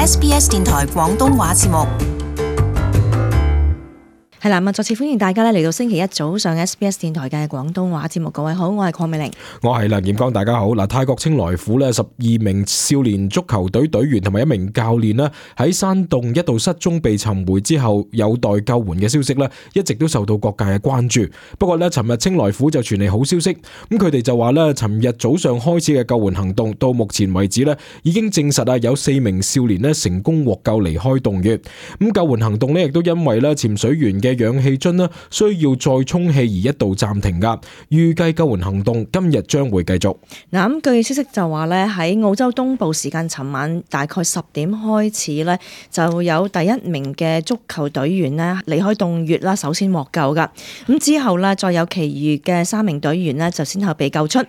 SBS 電台廣東話節目。係啦，再次歡迎大家嚟到星期一早上 SBS 電台嘅廣東話節目。各位好，我係鄺美玲，我係梁彥剛，大家好。嗱，泰國清萊府12名少年足球隊隊員同埋一名教練咧喺山洞一度失蹤被尋回之後，有待救援嘅消息咧，一直都受到各界嘅關注。不過咧，尋日清萊府就傳嚟好消息，咁佢哋就話咧，尋日早上開始嘅救援行動到目前為止咧，已經證實啊有4名少年咧成功獲救離開洞穴。咁救援行動咧亦都因為咧潛水員嘅氧氣樽咧需要再充氣而一度暫停噶，預計救援行動今日將會繼續。嗱，咁據消息就話咧，喺澳洲東部時間尋晚大概10點開始咧，就有第一名嘅足球隊員咧離開洞穴啦，首先獲救噶。咁之後咧，再有其餘嘅3名隊員咧就先後被救出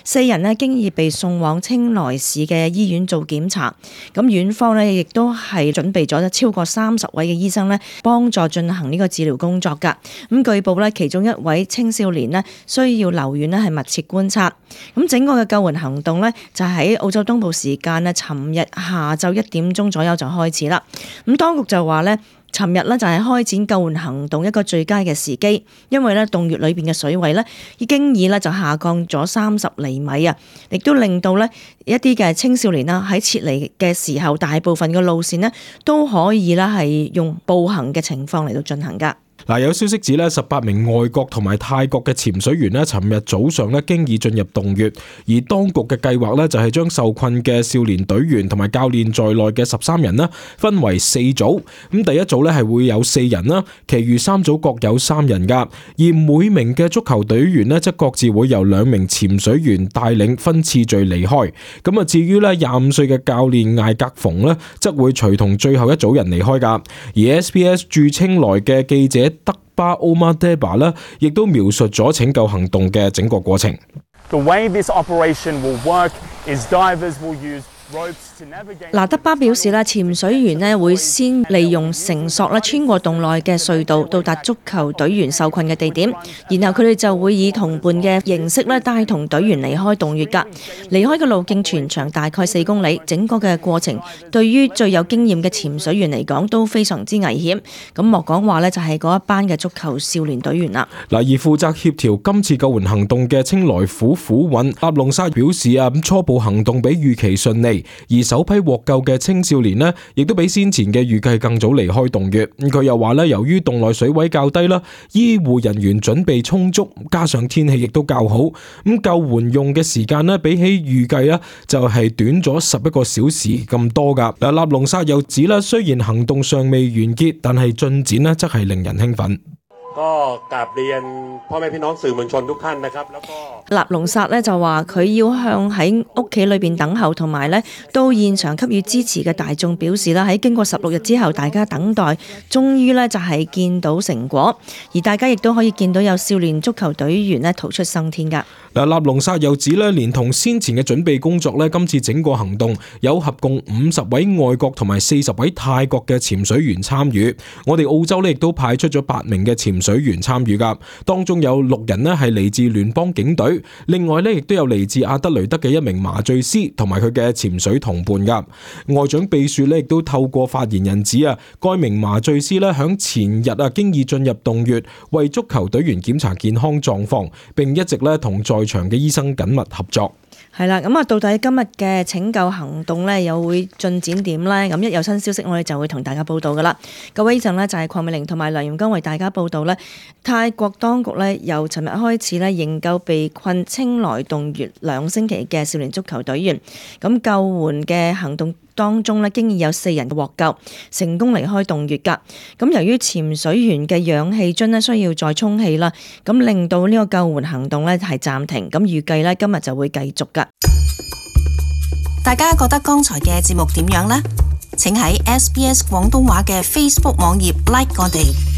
，4人咧經已被送往清萊市嘅醫院做檢查。咁院方咧亦都係準備咗超過30位嘅醫生咧，幫助進行呢個治療工作噶。咁據報咧，其中一位青少年咧需要留院咧係密切觀察。咁整個嘅救援行動咧就喺澳洲東部時間咧，尋日下晝1點鐘左右就開始啦。咁當局就話咧，尋日咧就係開展救援行動一個最佳嘅時機，因為咧洞穴裏邊嘅水位咧已經就下降咗30厘米啊，亦都令到咧一啲嘅青少年啦喺撤離嘅時候，大部分嘅路線咧都可以啦係用步行嘅情況嚟到進行噶。嗱，有消息指咧，18名外國同埋泰國嘅潛水員咧，尋日早上咧經已進入洞穴，而當局嘅計劃咧就係將受困嘅少年隊員同埋教練在內嘅13人啦，分為4組。咁第一組咧係會有4人啦，其餘3組各有3人噶。而每名嘅足球隊員咧，則各自會由2名潛水員帶領分次序離開。咁啊，至於咧25歲嘅教練艾格馮咧，則會隨同最後一組人離開噶。而 SBS 駐清萊嘅記者德巴奧馬德巴咧，亦都描述咗拯救行動嘅整個過程。The way this operation will work is divers will use ropes to navigate。德巴表示咧，潛水員咧會先利用繩索咧穿過洞內嘅隧道，到達足球隊員受困嘅地點，然後佢哋就會以同伴嘅形式咧帶同隊員離開洞穴噶。離開嘅路徑全長大概4公里，整個嘅過程對於最有經驗嘅潛水員嚟講都非常之危險。咁莫講話咧，就係嗰一班嘅足球少年隊員啦。而負責協調今次救援行動嘅清萊府府尹納隆沙表示啊，初步行動比預期順利，而首批獲救嘅青少年呢，亦都比先前嘅預計更早離開洞穴。佢又話咧，由於洞內水位較低啦，醫護人員準備充足，加上天氣亦都較好，咁救援用嘅時間呢，比起預計呢，就係短咗11個小時咁多噶。納隆沙又指啦，雖然行動尚未完結，但係進展呢，則係令人興奮。納隆薩咧就話佢要向喺屋企裏邊等候同埋咧到現場給予支持嘅大眾表示啦，喺經過16日之後，大家等待終於咧就係見到成果，而大家亦都可以見到有少年足球隊員咧逃出生天噶。納隆薩又指咧，連同先前嘅準備工作咧，今次整個行動有合共50位外國同埋40位泰國嘅潛水員參與。我哋澳洲咧亦都派出咗8名嘅潛水員參與噶，當中有6人咧係嚟自聯邦警隊，另外咧亦都有嚟自阿德雷德嘅一名麻醉師同埋佢嘅潛水同伴噶。外長秘書咧亦都透過發言人指啊，該名麻醉師咧響前日經已進入洞穴為足球隊員檢查健康狀況，並一直咧同在場嘅醫生緊密合作。係啦，咁到底今日嘅拯救行動咧又會進展點咧？咁一有新消息，我哋就會同大家報道噶啦。各位，以上咧就係鄺美玲同埋梁彥剛為大家報道咧。泰國當局咧由尋日開始咧營救被困清萊洞穴2星期嘅少年足球隊員。咁救援嘅行動當中咧，經已有4人獲救，成功離開洞穴噶。咁由於潛水員嘅氧氣樽咧需要再充氣啦，咁令到呢個救援行動咧係暫停。咁預計咧今日就會繼續噶。大家覺得剛才嘅節目點樣呢？請喺 SBS 廣東話嘅 Facebook 網頁 like 我哋。